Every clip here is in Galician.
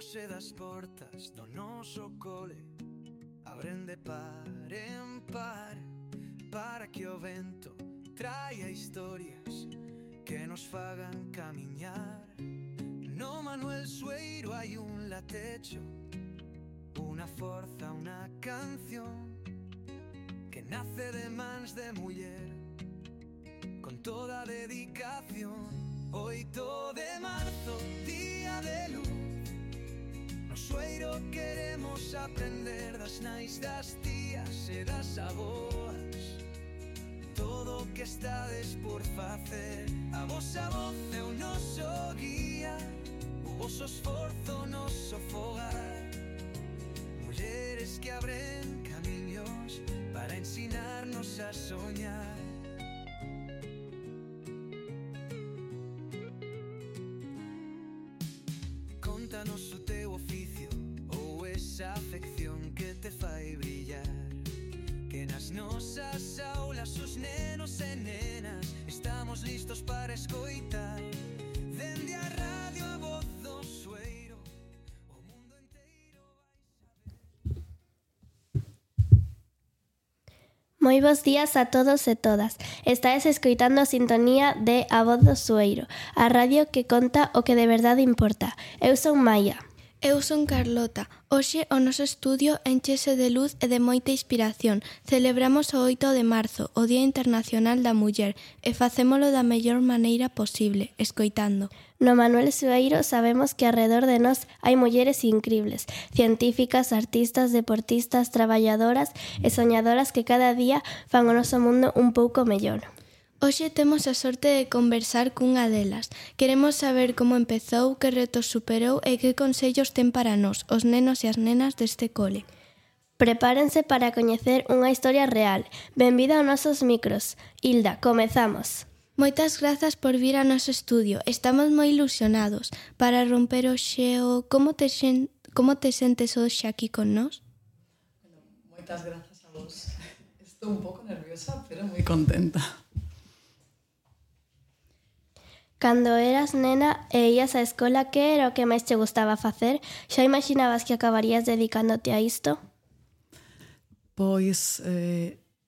Hoxe das portas do noso cole abren de par en par para que o vento traia historias que nos fagan camiñar. No Manuel Sueiro hai un latecho, unha forza, unha canción que nace de mans de muller con toda dedicación. 8 de marzo, día de luz, no Sueiro queremos aprender das nais, das tías e das aboas. Todo o que estades por facer, a vosa voz é o noso guía, o voso esforzo, o noso fogar. Mulleres que abren camiños para ensinarnos a soñar. Contanos o teu oficio ou esa afección que te fai brillar, que nas nosas aulas os nenos e nenas estamos listos para escoitar. Dende a radio a voz do Sueiro, o mundo inteiro vai saber. Moi bos días a todos e todas. Estáis escoitando a sintonía de A Voz do Sueiro, a radio que conta o que de verdade importa. Eu son Maia. Eu son Carlota. Hoxe o noso estudio enchese de luz e de moita inspiración. Celebramos o 8 de marzo, o Día Internacional da Muller, e facémolo da mellor maneira posible, escoitando. No Manuel Sueiro sabemos que arredor de nós hai mulleres incribles, científicas, artistas, deportistas, traballadoras e soñadoras que cada día fan o noso mundo un pouco mellor. Hoxe temos a sorte de conversar cunha delas. Queremos saber como empezou, que retos superou e que consellos ten para nós, os nenos e as nenas deste cole. Prepárense para coñecer unha historia real. Benvida aos nosos micros. Hilda, comezamos. Moitas grazas por vir ao noso estudio. Estamos moi ilusionados. Para romper o xeo, como te sentes hoxe aquí con nós? Moitas grazas a vos. Estou un pouco nerviosa, pero moi contenta. Cando eras nena e ías á escola, que era o que máis te gustaba facer? Xa imaginabas que acabarías dedicándote a isto? Pois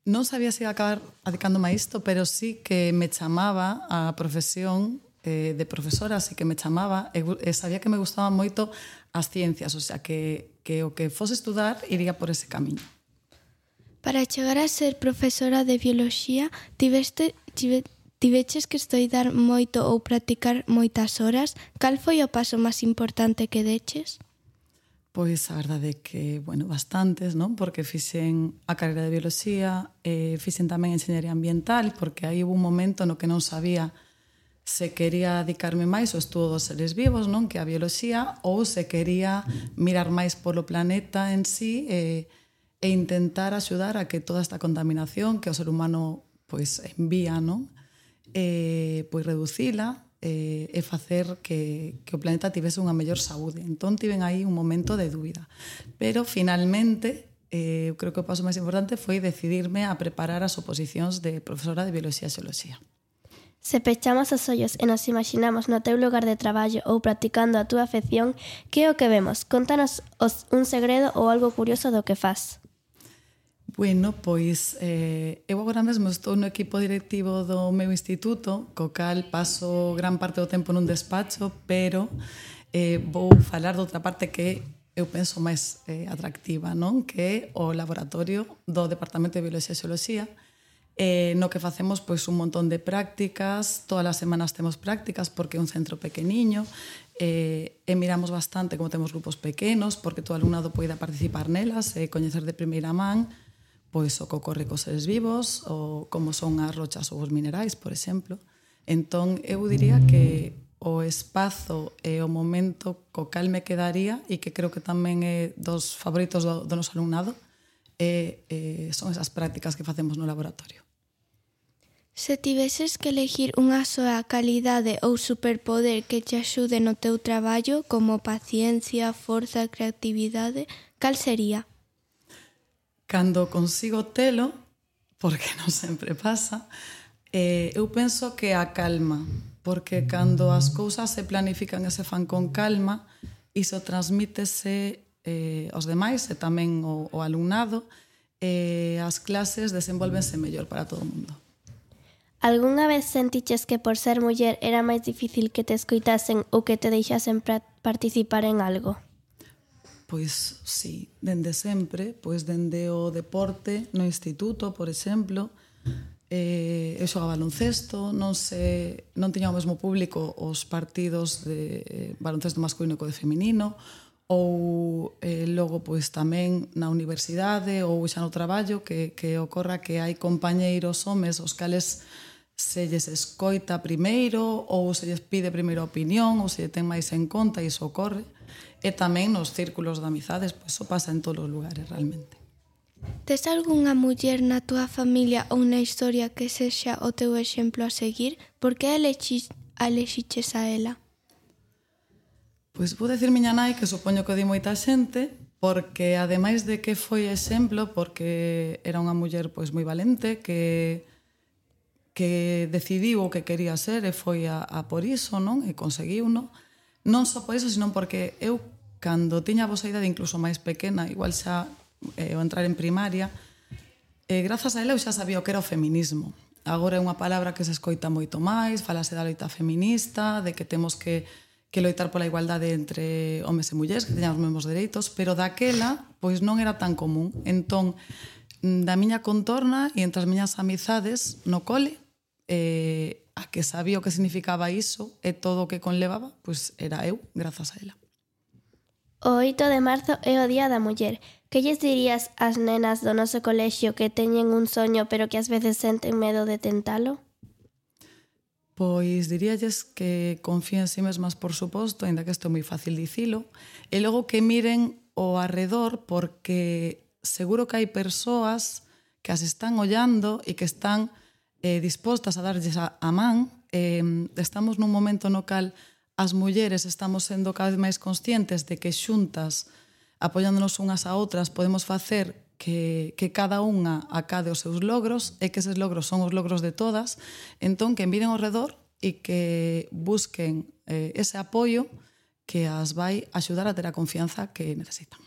non sabía se ia acabar dedicándome a isto, pero sí que me chamaba a profesión de profesora, así que me chamaba e sabía que me gustaban moito as ciencias, o sea, que o que fose estudar iría por ese camiño. Para chegar a ser profesora de bioloxía, tiveches que estudar moito ou practicar moitas horas? Cal foi o paso máis importante que deches? Pois a verdade é que, bastantes, non? Porque fixen a carreira de bioloxía, fixen tamén enxeñería ambiental, porque aí hubo un momento no que non sabía se quería dedicarme máis ao estudo dos seres vivos, non? Que a bioloxía, ou se quería mirar máis polo planeta en sí e intentar axudar a que toda esta contaminación que o ser humano envía, non? Reducila e facer que o planeta tivese unha mellor saúde. Entón tiven aí un momento de dúbida. Pero finalmente, eu creo que o paso máis importante foi decidirme a preparar as oposicións de profesora de Bioloxía e Xeoloxía. Se pechamos os ollos e nos imaginamos no teu lugar de traballo ou practicando a túa afección, que é o que vemos? Contanos un segredo ou algo curioso do que faz. Eu agora mesmo estou no equipo directivo do meu instituto, co cal paso gran parte do tempo nun despacho, pero vou falar de outra parte que eu penso máis atractiva, non? Que é o laboratorio do Departamento de Bioloxía e Xeoloxía, no que facemos un montón de prácticas, todas as semanas temos prácticas porque é un centro pequeniño, e miramos bastante como temos grupos pequenos, porque todo o alumnado poida participar nelas e coñecer de primeira man o que ocorre cos seres vivos, ou como son as rochas ou os minerais, por exemplo. Entón, eu diría que o espazo e o momento co cal me quedaría, e que creo que tamén é dos favoritos do noso alumnado, son esas prácticas que facemos no laboratorio. Se tiveses que elegir unha soa calidade ou superpoder que te axude no teu traballo, como paciencia, forza, creatividade, cal sería? Cando consigo telo, porque non sempre pasa, eu penso que a calma, porque cando as cousas se planifican e se fan con calma, iso transmítese aos demais e tamén o alumnado, as clases desenvolvense mellor para todo o mundo. Algunha vez sentiches que por ser muller era máis difícil que te escoitasen ou que te deixasen participar en algo? Pois sí, dende sempre, pois dende o deporte no instituto, por exemplo, eu xogaba baloncesto, non tiña o mesmo público os partidos de baloncesto masculino que o de feminino, ou logo pois tamén na universidade ou xa no traballo que ocorra que hai compañeiros homes os cales se lles escoita primeiro ou se lles pide primeiro a opinión ou se lle ten máis en conta, e iso ocorre. E tamén nos círculos de amizades, pois iso pasa en todos os lugares realmente. Tes algunha muller na túa familia ou na historia que sexa o teu exemplo a seguir? Por que alexiches a ela? Pois vou decir miña nai, que supoño que o di moita xente, porque ademais de que foi exemplo, porque era unha muller pois moi valente, que decidiu o que quería ser e foi a por iso, non? E conseguiu, non? Non só por iso, sino porque eu, cando tiña a vosa idade incluso máis pequena, igual xa ao entrar en primaria, grazas a ela eu xa sabía o que era o feminismo. Agora é unha palabra que se escoita moito máis, falase da loita feminista, de que temos que loitar pola igualdade entre homes e mulleres, que teñamos os mesmos dereitos, pero daquela, pois non era tan común. Entón, da miña contorna e entre as miñas amizades no cole, a que sabía o que significaba iso e todo o que conlevaba, pois era eu, grazas a ela. O 8 de marzo é o Día da Muller. Que lles dirías ás nenas do noso colexio que teñen un soño pero que ás veces senten medo de tentalo? Pois diríalles que confíen en si mesmas, por suposto, ainda que isto é moi fácil dicilo, e logo que miren ao arredor, porque seguro que hai persoas que as están ollando e que están dispostas a darlles a man. Estamos nun momento no cal as mulleres estamos sendo cada vez máis conscientes de que xuntas, apoiándonos unhas a outras, podemos facer que cada unha acade os seus logros e que eses logros son os logros de todas. Entón, que miren ao redor e que busquen ese apoio que as vai axudar a ter a confianza que necesitan.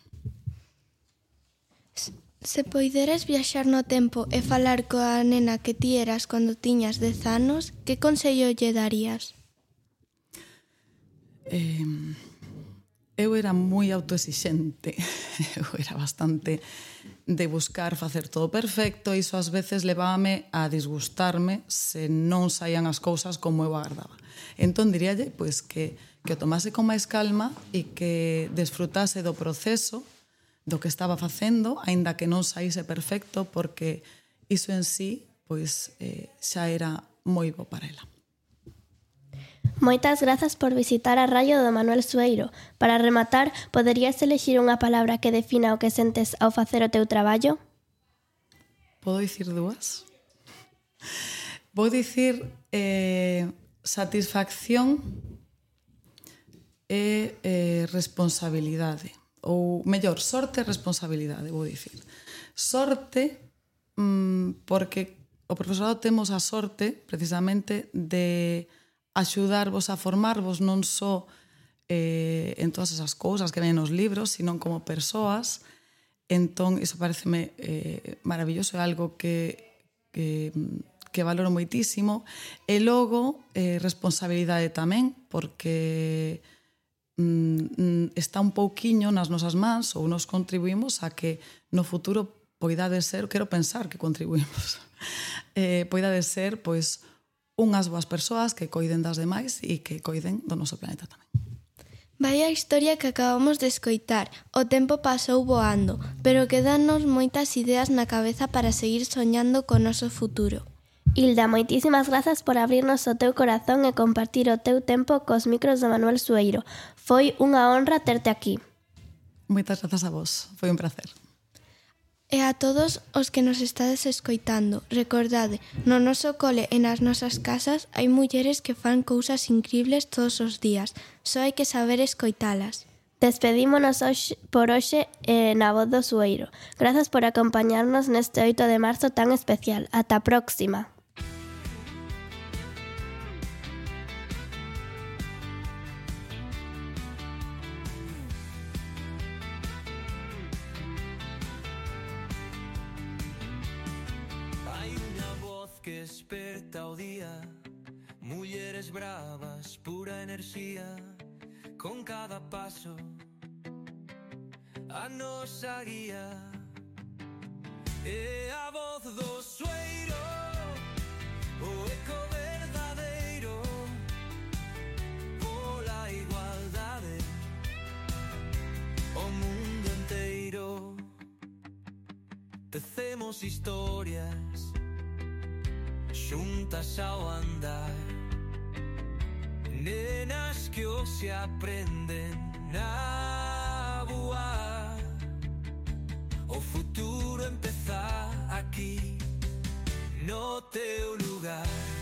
Se poideres viaxar no tempo e falar coa nena que ti eras cando tiñas 10 anos, que consello lle darías? Eu era moi autoexixente, eu era bastante de buscar facer todo perfecto, e iso ás veces levábame a disgustarme se non saían as cousas como eu agardaba. Entón diríalle pois, que o tomase con máis calma e que desfrutase do proceso do que estaba facendo, aínda que non saíse perfecto, porque iso en sí pois, xa era moi bo para ela. Moitas grazas por visitar a Radio do Manuel Sueiro. Para rematar, poderías elexir unha palabra que defina o que sentes ao facer o teu traballo? Podo dicir dúas? Vou dicir satisfacción e responsabilidade. Ou mellor, sorte e responsabilidade, vou dicir. Sorte, porque o profesorado temos a sorte, precisamente, de axudarvos a formarvos non só en todas esas cousas que ven nos libros, sino como persoas. Entón, iso pareceme maravilloso, é algo que valoro moitísimo. E logo, responsabilidade tamén, porque está un pouquiño nas nosas mans ou nos contribuímos a que no futuro poidade ser, quero pensar que contribuímos, poidade ser pois unhas boas persoas que coiden das demais e que coiden do noso planeta tamén. Vai a historia que acabamos de escoitar. O tempo pasou voando, pero quedanos moitas ideas na cabeza para seguir soñando co noso futuro. Hilda, moitísimas grazas por abrirnos o teu corazón e compartir o teu tempo cos micros do Manuel Sueiro. Foi unha honra terte aquí. Moitas grazas a vos, foi un placer. E a todos os que nos estades escoitando, recordade, no noso cole e nas nosas casas hai mulleres que fan cousas incribles todos os días. Só hai que saber escoitalas. Despedímonos por hoxe na Voz do Sueiro. Grazas por acompañarnos neste 8 de marzo tan especial. Ata a próxima. Mujeres bravas, pura enerxía, con cada paso a nosa guía. E a voz do sueiro, o eco verdadeiro, pola igualdade, o mundo enteiro. Tecemos historias xuntas ao andar, nenas que hoxe aprenden a voar. O futuro empeza aquí, no teu lugar.